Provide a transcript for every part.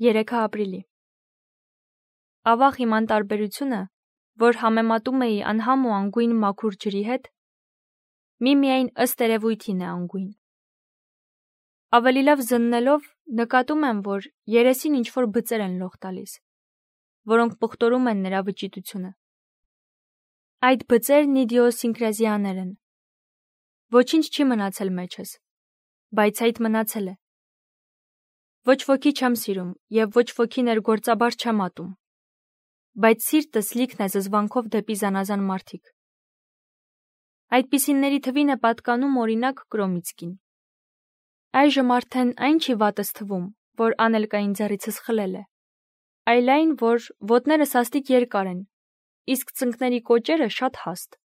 3 ապրիլի։ Ավաղ իմ անտարբերությունը, որ համեմատում էի անհամ ու անգույն մաքուր ջրի հետ, միմիայն ըստ երևույթին է անգույն։ Ավելի լավ զննելով նկատում եմ, որ երեսին ինչ-որ բծեր են լող տալիս, որոնք պղտորում են նրա վճիտությունը։ Այդ բծերն իդիոսինկրազիաներ են։ Ոչինչ չի մնացել մեջս, բայց այդ մնացել է։ Ոչ ոքի չեմ սիրում և ոչ ոքի ներգործաբար չեմ ատում, բայց սիրտս լիքն է զզվանքով դեպի զանազան մարդիկ։ Այդպիսինների թվին է պատկանում օրինակ Կրոմիցկին։ Այժմ արդեն այն չի վատս թվում, որ անելկային ձեռիցս խլել է, այլ այն, որ ոտները սաստիկ երկար են, իսկ ծնկների կոճերը շատ հաստ,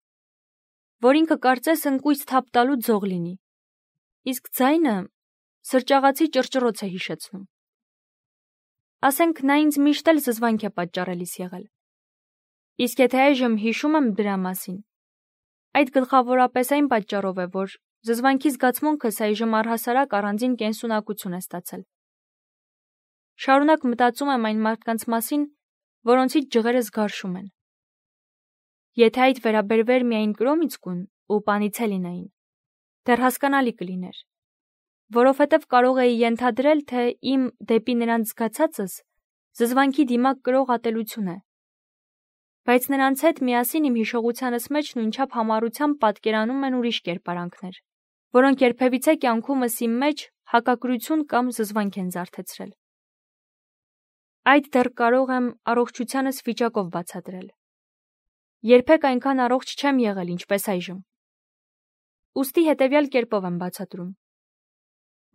որ ինքը կարծես ընկույց թափ տալու ձող լինի, իսկ ձայնը սրճաղացի ճռճռոց է հիշեցնում։ Ասենք նա ինձ միշտ էլ զզվանք է պատճառելիս եղել։ Իսկ եթե այժմ հիշում եմ դրա մասին, այդ գլխավորապես այն պատճառով է, որ զզվանքի զգացմունքս այժմ առհասարակ առանձին կենսունակություն է ստացել։ Շարունակ մտածում եմ այն մարդկանց մասին, որոնցից ջղերս գարշում են։ Եթե այդ վերաբերվեր միայն Կրոմիցկուն ու Պանիցելինային, դեռ հասկանալի կլիներ, որովհետև կարող էի ենթադրել, թե իմ դեպի նրանց զգացածս զզվանքի դիմակ կրող ատելություն է, բայց նրանց հետ միասին իմ հիշողությանս մեջ նույնչափ համառությամբ պատկերանում են ուրիշ կերպարանքներ, որոնք երբևիցե կյանքումս իմ մեջ հակակրություն կամ զզվանք են զարթեցրել։ Այդ դեռ կարող եմ առողջությանս վիճակով բացատրել։ Երբեք այնքան առողջ չեմ եղել, ինչպես այժմ։ Ուստի հետևյալ կերպով եմ բացատրում։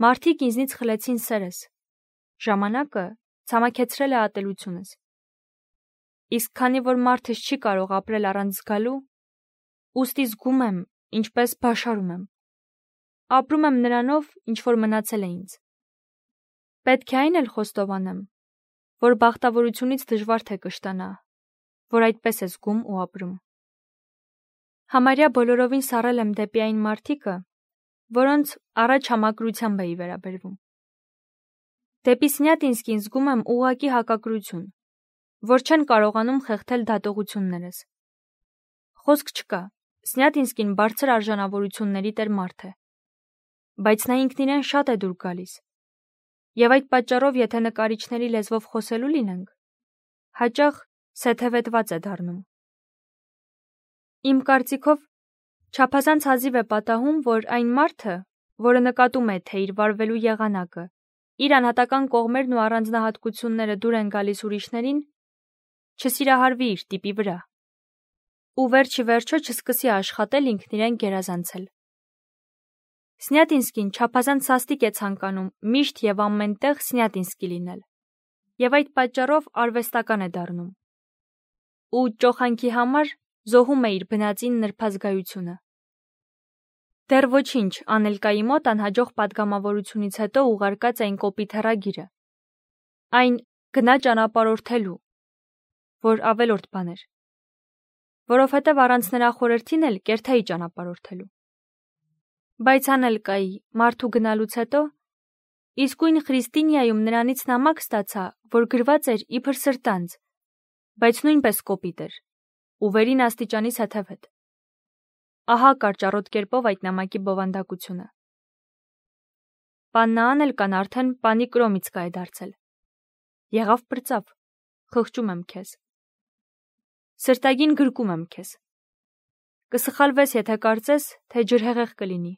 Մարդիկ ինձնից խլեցին սերս, ժամանակը ցամաքեցրել է ատելությունս։ Իսկ քանի որ մարդս չի կարող ապրել առանց զգալու, ուստի զգում եմ, ինչպես բաշարում եմ։ Ապրում եմ նրանով, ինչ որ մնացել է ինձ։ Պետք է այն էլ խոստովանեմ, որ բախտավորությունից դժվար թե կշտանա, որ այդպես է զգում ու ապրում։ Համարյա բոլորովին սառել եմ դեպի այն մարդիկը, որոնց առաջ համակրությամբ էի վերաբերվում։ Դեպի Սնյատինսկին զգում եմ ուղղակի հակակրություն, որ չեն կարողանում խեղդել դատողություններս։ Խոսք չկա, Սնյատինսկին բարձր արժանավորությունների տեր մարդ է, բայց նա ինքն իրեն շատ է դուր գալիս, և այդ պատճառով եթե նկարիչների լեզվով խոսելու լինենք, հաճախ սեթևետված է դառնում։ Իմ կարծիքով չափազանց հազիվ է պատահում, որ այն մարդը, որը նկատում է, թե իր վարվելու եղանակը, իր անհատական կողմերն ու առանձնահատկությունները դուր են գալիս ուրիշներին, չսիրահարվի իր տիպի վրա, ու վերջ ի վերջո չսկսի աշխատել ինքն իրեն գերազանցել։ Սնյատինսկին չափազանց սաստիկ է ցանկանում միշտ և ամեն տեղ Սնյատինսկի լինել, և այդ պատճառով արվեստական է դառնում, ու ճոխանքի համար զոհում է իր բնածին նրբազգայությունը։ Դեռ ոչինչ Անելկայի մոտ անհաջող պատգամավորությունից հետո ուղարկած այն կոպիտ հեռագիրը, այն գնա ճանապարհորդելու, որ ավելորդ բան էր, որովհետև առանց նրա խորհրդին էլ կերթեի ճանապարհորդելու։ Բայց Անելկայի մարդու գնալուց հետո իսկույն Խրիստինիայում նրանից նամակ ստացա, որ գրված էր իբր սրտանց, բայց նույնպես կոպիտ էր, ու վերին աստիճանի սեթևետ։ Ահա կարճառոտ կերպով այդ նամակի բովանդակությունը։ Պաննա Անելկան արդեն պանի Կրոմիցկա է դարձել։ Եղավ պրծավ, խղճում եմ քեզ։ Սրտագին գրկում եմ քեզ։ Կսխալվես, եթե կարծես, թե ջրհեղեղ կլինի։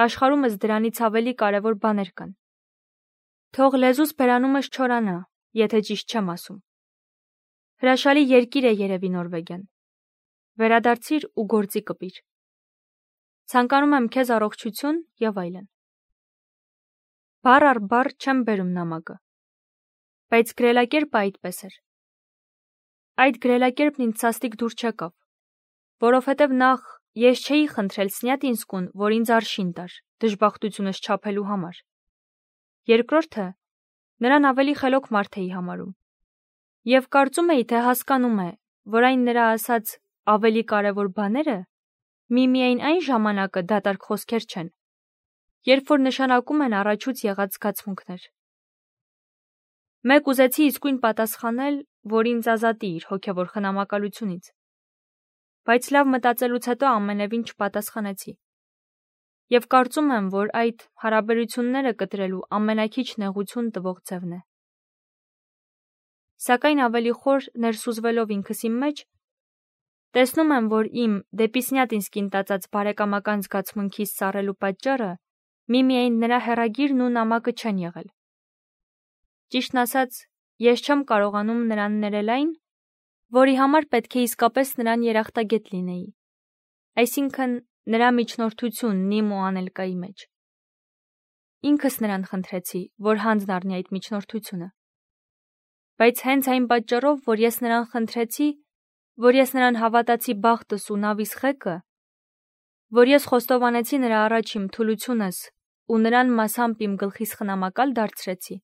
Աշխարհումս դրանից ավելի կարևոր բաներ կան։ Թող լեզուս բերանումս չորանա, եթե ճիշտ չեմ ասում։ Հրաշալի երկիր է երևի Նորվեգիան։ Վերադարձիր ու գործի կպիր։ Ցանկանում եմ քեզ առողջություն և այլն։ Բառ առ բառ չեմ բերում նամակը, բայց գրելակերպը այդպես էր։ Այդ գրելակերպն ինձ սաստիկ դուր չեկավ, որովհետև նախ ես չէի խնդրել Սնյատինսկուն, որ ինձ արշին տար դժբախտությունս չափելու համար։ Երկրորդը, նրան ավելի խելոք մարդ էի համարում, և կարծում էի, թե հասկանում է, որ այն նրա ասած ավելի կարևոր բաները միմիայն այն ժամանակը դատարկ խոսքեր չեն, երբ որ նշանակում են առաջուց եղած զգացմունքներ։ Մեկ ուզեցի իսկույն պատասխանել, որ ինձ ազատի իր հոգևոր խնամակալությունից, բայց լավ մտածելուց հետո ամենևին չպատասխանեցի։ Եվ կարծում եմ, որ այդ հարաբերությունները կտրելու ամենաքիչ նեղություն տվող ձևն է։ Սակայն ավելի խոր ներսուզվելով ինքս իմ մեջ, տեսնում եմ, որ իմ դեպի Սնյատինսկին տածած բարեկամական զգացմունքիս սառելու պատճառը միմիայն նրա հեռագիրն ու նամակը չեն եղել։ Ճիշտն ասած, ես չեմ կարողանում նրան ներել այն, որի համար պետք է իսկապես նրան երախտագետ լինեի, այսինքն նրա միջնորդությունն իմ ու Անելկայի մեջ։ Ինքս նրան խնդրեցի, որ հանձն առնի այդ միջնորդությունը։ Բայց հենց այն պատճառով, որ ես նրան խնդրեցի, որ ես նրան հավատացի բախտս ու նավիս խեկը, որ ես խոստովանեցի նրա առաջ իմ թուլությունս ու նրան մասամբ իմ գլխիս խնամակալ դարձրեցի,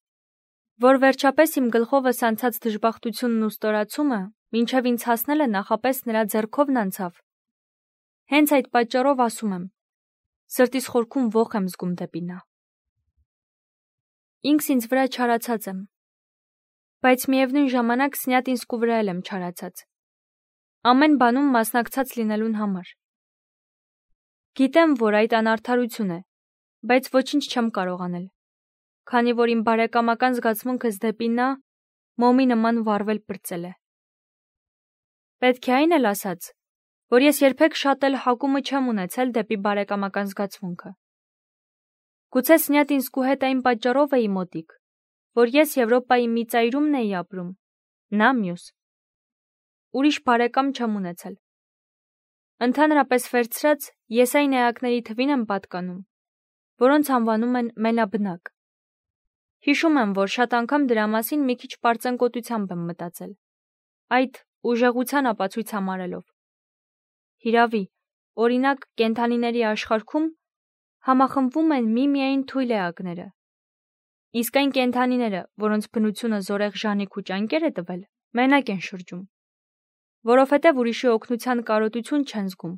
որ վերջապես իմ գլխովս անցած դժբախտությունն ու ստորացումը մինչև ինձ հասնելը նախապես նրա ձեռքովն անցավ։ Հենց այդ պատճառով ասում եմ, սրտիս խորքում ոխ եմ զգում դեպի նա։ Ինքս ինձ վրա չարացած եմ, բայց միևնույն ժամանակ Սնյատինսկու վրա էլ եմ չարացած, ամեն բանում մասնակցած լինելուն համար։ Գիտեմ, որ այդ անարդարություն է, բայց ոչինչ չեմ կարող անել, քանի որ իմ բարեկամական զգացմունքս դեպի նա մոմի նման վառվել պրծել է։ Պետք է այն էլ ասած, որ ես երբեք շատ էլ հակումը չեմ ունեցել դեպի բարեկամական զգացմունքը։ Գուցե Սնյատինսկու հետ այն պատճառով էի մոտիկ, որ ես Եվրոպայի մի ծայրումն էի ապրում, նա մյուս։ Ուրիշ բարեկամ չեմ ունեցել։ Ընդհանրապես վերցրած, ես այն էակների թվին եմ պատկանում, որոնց անվանում են մենաբնակ։ Հիշում եմ, որ շատ անգամ դրա մասին մի քիչ պարծենկոտությամբ եմ մտածել, այդ ուժեղության ապացույց համարելով։ Հիրավի, օրինակ, կենդանիների աշխարհքում համախմբվում են միմիայն թույլ էակները, իսկ այն կենդանիները, որոնց բնությունը զորեղ ժանիք ու ճանկեր է տվել, մենակ են շրջում, որովհետև ուրիշի օգնության կարոտություն չեն զգում։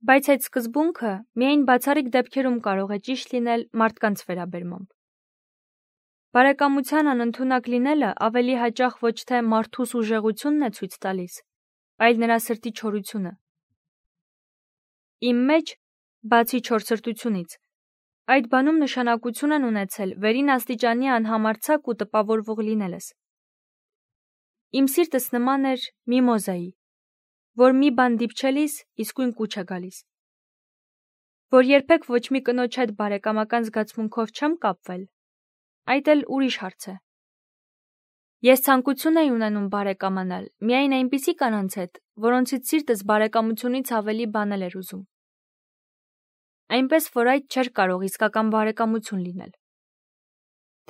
Բայց այդ սկզբունքը միայն բացառիկ դեպքերում կարող է ճիշտ լինել մարդկանց վերաբերմամբ։ Բարեկամության անընդունակ լինելը ավելի հաճախ ոչ թե մարդուս ուժեղությունն է ցույց տալիս, այլ նրա սրտի չորությունը։ Իմ մեջ, բացի չորսրտությունից, այդ բանում նշանակություն են ունեցել վերին աստիճանի անհամարձակ ու տպավորվող լինելս։ Իմ սիրտս նման էր միմոզայի, որ մի բան դիպչելիս իսկույն կուչ է գալիս։ Որ երբեք ոչ մի կնոջ հետ բարեկամական զգացմունքով չեմ կապվել, այդ էլ ուրիշ հարց է։ Ես ցանկություն էի ունենում բարեկամանալ միայն այնպիսի կանանց հետ, որոնցից սիրտս բարեկամությունից ավելի բանել էր ուզում։ Այնպես, որ այդ չէր կարող իսկական բարեկամություն լինել։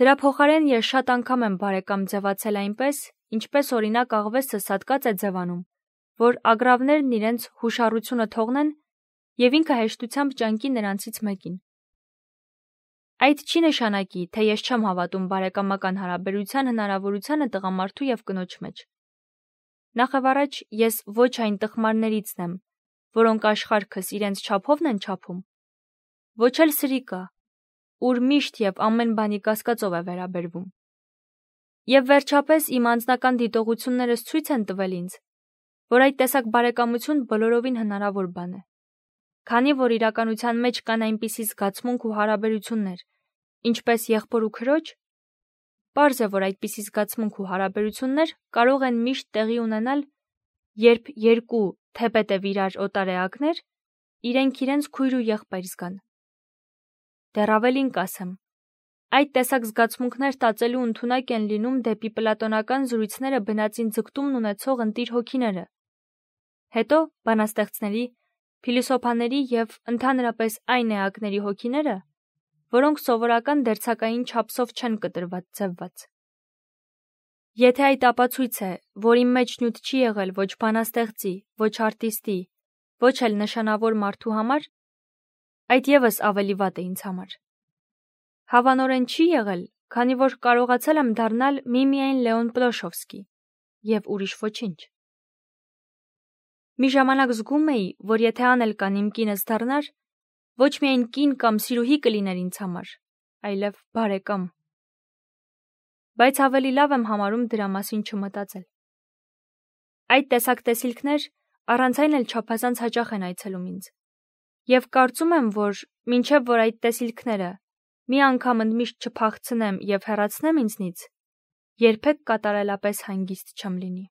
Դրա փոխարեն ես շատ անգամ եմ բարեկամ ձևացել այնպես, ինչպես օրինակ աղվեսը սատկած է ձևանում, որ ագռավներն իրենց հուշառությունը թողնեն և ինքը հեշտությամբ ճանկի նրանցից մեկին։ Այդ չի նշանակի, թե ես չեմ հավատում բարեկամական հարաբերության հնարավորությանը տղամարդու և կնոջ մեջ։ Նախևառաջ ես ոչ այն տխմարներիցն եմ, որոնք աշխարհքս իրենց չափովն են չափում, ոչ էլ սրիկա, ուր միշտ և ամեն բանի կասկածով է վերաբերվում։ Եվ վերջապես իմ անձնական դիտողություններս ցույց են տվել ինձ, որ այդ տեսակ բարեկամություն բոլորովին հնարավոր բան է։ Քանի որ իրականության մեջ կան այնպիսի զգացմունք ու հարաբերություններ, ինչպես եղբոր ու քրոջ, պարզ է, որ այդպիսի զգացմունք ու հարաբերություններ կարող են միշտ տեղի ունենալ, երբ երկու թեպետև իրար օտար էակներ իրենք իրենց քույր ու եղբայր զգան։ Դեռ ավելին կասեմ, այդ տեսակ զգացմունքներ տածելու ընդունակ են լինում դեպի պլատոնական զրույցները բնածին ձգտումն ունեցող ընտիր հոգիները, հետո բանաստեղծների, փիլիսոփաների և ընդհանրապես այն էակների հոգիները, որոնք սովորական դերձակային չափսով չեն կտրված ձևված։ Եթե այդ ապացույց է, որ իմ մեջ նյութ չի եղել ոչ բանաստեղծի, ոչ արտիստի, ոչ էլ նշանավոր մարդու համար, այդ ևս ավելի վատ է ինձ համար։ Հավանորեն չի եղել, քանի որ կարողացել եմ դառնալ միմիայն Լեոն Պլոշովսկի և ուրիշ ոչինչ։ Մի ժամանակ զգում էի, որ եթե Անելկան իմ կինս դառնար, ոչ միայն կին կամ սիրուհի կլիներ ինձ համար, այլև բարեկամ։ բայց ավելի լավ եմ համարում դրա մասին չմտածել։ Այդ տեսակ տեսիլքներ առանց այն էլ չափազանց հաճախ են այցելում ինձ։ Եվ կարծում եմ, որ մինչև որ այդ տեսիլքները մի անգամ ընդմիշտ չփախցնեմ եւ հեռացնեմ ինձնից, երբեք կատարելապես հանգիստ չեմ լինի։